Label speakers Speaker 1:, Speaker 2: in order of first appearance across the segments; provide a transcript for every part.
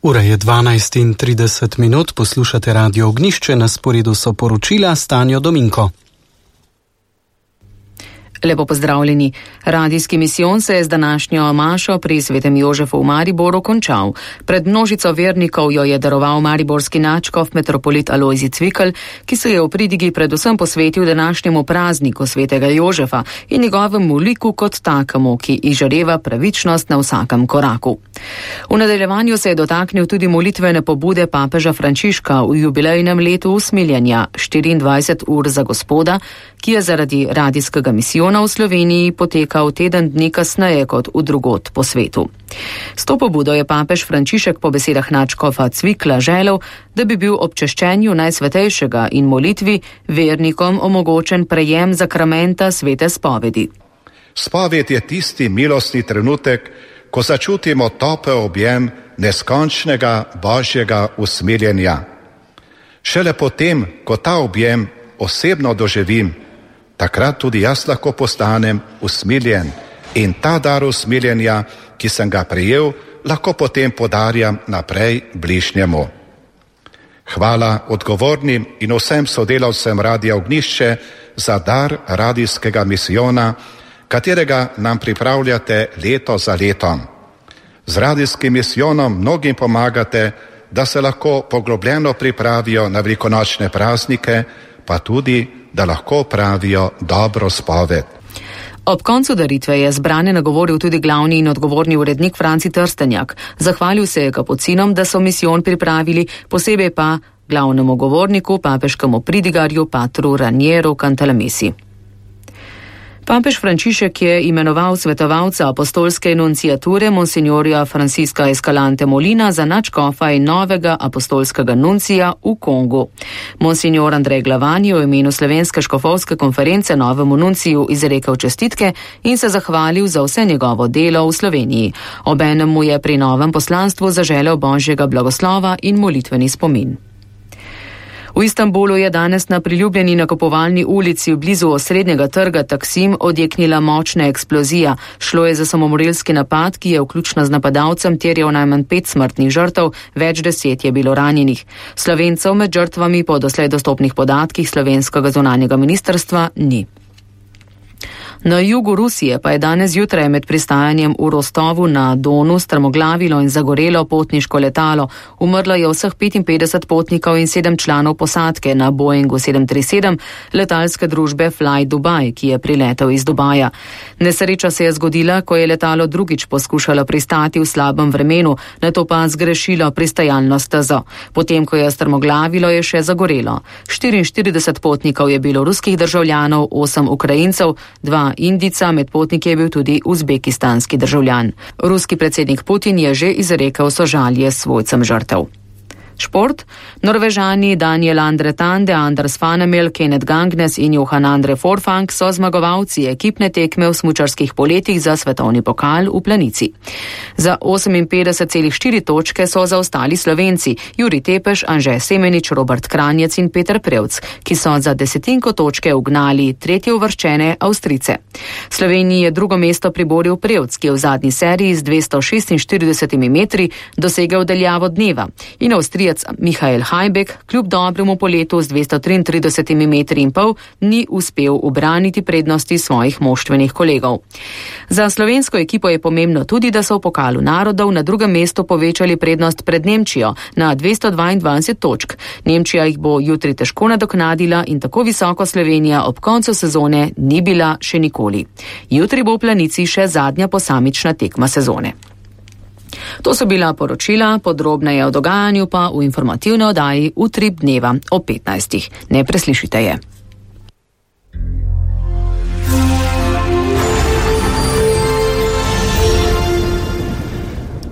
Speaker 1: Ura je 12:30, poslušate Radio Ognjišče, na sporedu so poročila Stanjo Dominko.
Speaker 2: Lepo pozdravljeni. Radijski misijon se je z današnjo mašo pri Svetem Jožefu v Mariboru končal. Pred množico vernikov jo je daroval mariborski nadškof metropolit Alojzij Cvikl, ki se je v pridigi predvsem posvetil današnjemu prazniku Svetega Jožefa in njegovemu liku kot takemu, ki izžareva pravičnost na vsakem koraku. V nadaljevanju se je dotaknil tudi molitvene pobude papeža Frančiška v jubilejnem letu usmiljenja 24 ur za Gospoda, ki je zaradi radijskega misijona v Sloveniji potekal teden dni kasneje kot v drugod po svetu. S to pobudo je papež Frančišek po besedah nadškofa Cvikla želel, da bi bil ob češčenju Najsvetejšega in molitvi vernikom omogočen prejem zakramenta svete spovedi.
Speaker 3: Spoved je tisti milostni trenutek, ko začutimo topel objem neskončnega Božjega usmiljenja. Šele potem, ko ta objem osebno doživim, takrat tudi jaz lahko postanem usmiljen in ta dar usmiljenja, ki sem ga prejel, lahko potem podarjam naprej bližnjemu. Hvala odgovornim in vsem sodelavcem Radia Ognjišče za dar radijskega misijona, katerega nam pripravljate leto za letom. Z radijskim misijonom mnogim pomagate, da se lahko poglobljeno pripravijo na velikonočne praznike, pa tudi da lahko pravijo dobro spoved.
Speaker 2: Ob koncu daritve je zbrane nagovoril tudi glavni in odgovorni urednik Franci Trstenjak. Zahvalil se je kapucinom, da so misijon pripravili, posebej pa glavnemu govorniku, papeškemu pridigarju Patru Ranieru Cantalamessi. Papež Frančišek je imenoval svetovalca apostolske nunciature monsignorja Francisca Escalante Molina za nadškofa in novega apostolskega nuncija v Kongu. Monsignor Andrej Glavan je v imenu Slovenske škofovske konference novemu nunciju izrekel čestitke in se zahvalil za vse njegovo delo v Sloveniji. Obenem mu je pri novem poslanstvu zaželel Božjega blagoslova in molitveni spomin. V Istanbulu je danes na priljubljeni nakupovalni ulici blizu osrednjega trga Taksim odjeknila močna eksplozija. Šlo je za samomorilski napad, ki je vključno z napadalcem terjal najmanj 5 smrtnih žrtev, več 10 je bilo ranjenih. Slovencev med žrtvami po doslej dostopnih podatkih slovenskega zunanjega ministrstva ni. Na jugu Rusije pa je danes zjutraj med pristajanjem v Rostovu na Donu strmoglavilo in zagorelo potniško letalo. Umrlo je vseh 55 potnikov in 7 članov posadke na Boeingu 737 letalske družbe Fly Dubai, ki je priletel iz Dubaja. Nesreča se je zgodila, ko je letalo drugič poskušalo pristati v slabem vremenu, nato pa zgrešilo pristajalno stezo. Potem, ko je strmoglavilo, je še zagorelo. 44 potnikov je bilo ruskih državljanov, 8 Ukrajincev, 2 Indijca, med potniki je bil tudi uzbekistanski državljan. Ruski predsednik Putin je že izrekel sožalje svojcem žrtev. Šport. Norvežani Daniel Andre Tande, Anders Fanemel, Kenneth Gangnes in Johan Andre Forfang so zmagovalci ekipne tekme v smučarskih poletih za svetovni pokal v Planici. Za 58,4 točke so zaostali Slovenci Jurij Tepeš, Anže Semenič, Robert Kranjec in Peter Prevc, ki so za desetinko točke ugnali tretje uvrščene Avstrijce. Sloveniji je drugo mesto priboril Prevc, ki je v zadnji seriji z 246 metri dosegel daljavo dneva, in Avstrijec Michael Hajbek kljub dobremu poletu z 233 metri in pol ni uspel ubraniti prednosti svojih moštvenih kolegov. Za slovensko ekipo je pomembno tudi, da so v pokalu narodov na drugem mestu povečali prednost pred Nemčijo na 222 točk. Nemčija jih bo jutri težko nadoknadila in tako visoko Slovenija ob koncu sezone ni bila še nikoli. Jutri bo v Planici še zadnja posamična tekma sezone. To so bila poročila, podrobneje o dogajanju pa v informativni oddaji Utrip dneva o 15. Ne preslišite je.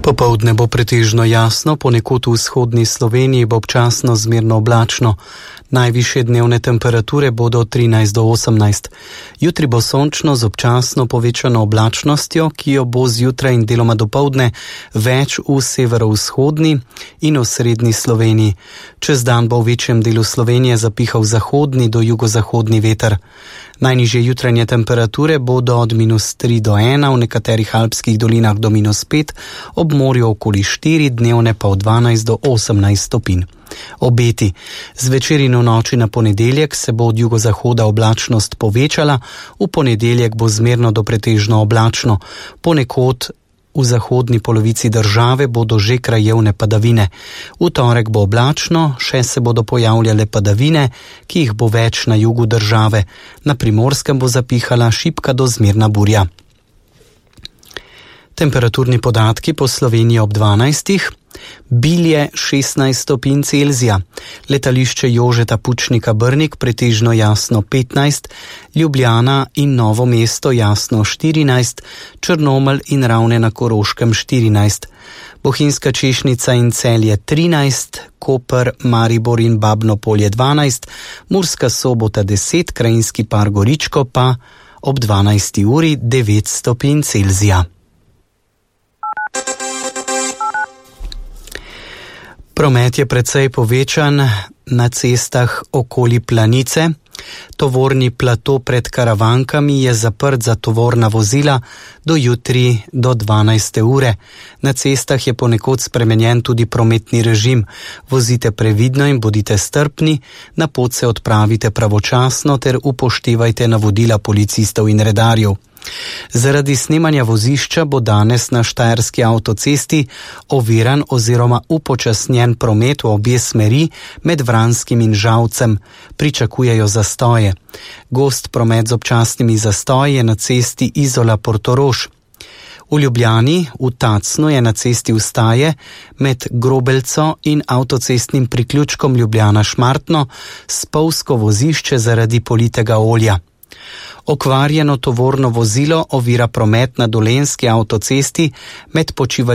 Speaker 1: Popoldne bo pretežno jasno, ponekod v vzhodni Sloveniji bo občasno zmerno oblačno. Najvišje dnevne temperature bodo 13 do 18. Jutri bo sončno z občasno povečano oblačnostjo, ki jo bo zjutraj in deloma dopoldne več v severovzhodni in osrednji Sloveniji. Čez dan bo v večjem delu Slovenije zapihal zahodni do jugozahodni veter. Najnižje jutranje temperature bodo od -3 do 1, v nekaterih alpskih dolinah do -5, ob morju okoli 4, dnevne pa od 12 do 18 stopinj. Obeti. Zvečer in v noči na ponedeljek se bo od jugozahoda oblačnost povečala, v ponedeljek bo zmerno do pretežno oblačno, ponekod v zahodni polovici države bodo že krajevne padavine. V torek bo oblačno, še se bodo pojavljale padavine, ki jih bo več na jugu države. Na Primorskem bo zapihala šibka do zmerna burja. Temperaturni podatki po Sloveniji ob 12. Bilje 16 stopinj Celzija, letališče Jožeta Pučnika Brnik pretežno jasno 15, Ljubljana in Novo mesto jasno 14, Črnomelj in Ravne na Koroškem 14, Bohinjska Češnica in Celje 13, Koper, Maribor in Babno Polje 12, Murska Sobota 10, Krajinski par Goričko pa ob 12. uri 9 stopinj Celzija. Promet je precej povečan na cestah okoli Planice. Tovorni plato pred Karavankami je zaprt za tovorna vozila do jutri do 12. ure. Na cestah je ponekod spremenjen tudi prometni režim. Vozite previdno in bodite strpni, na pot se odpravite pravočasno ter upoštevajte navodila policistov in redarjev. Zaradi snemanja vozišča bo danes na Štajerski avtocesti oviran oziroma upočasnjen promet v obje smeri med Vranskim in Žalcem. Pričakujejo zastoje. Gost promet z občasnimi zastoji je na cesti Izola-Portorož. V Ljubljani, v Tacnu je na cesti Vstaje med Grobelco in avtocestnim priključkom Ljubljana-Šmartno spolzko vozišče zaradi politega olja. Okvarjeno tovorno vozilo ovira promet na Dolenjski avtocesti med počivališčem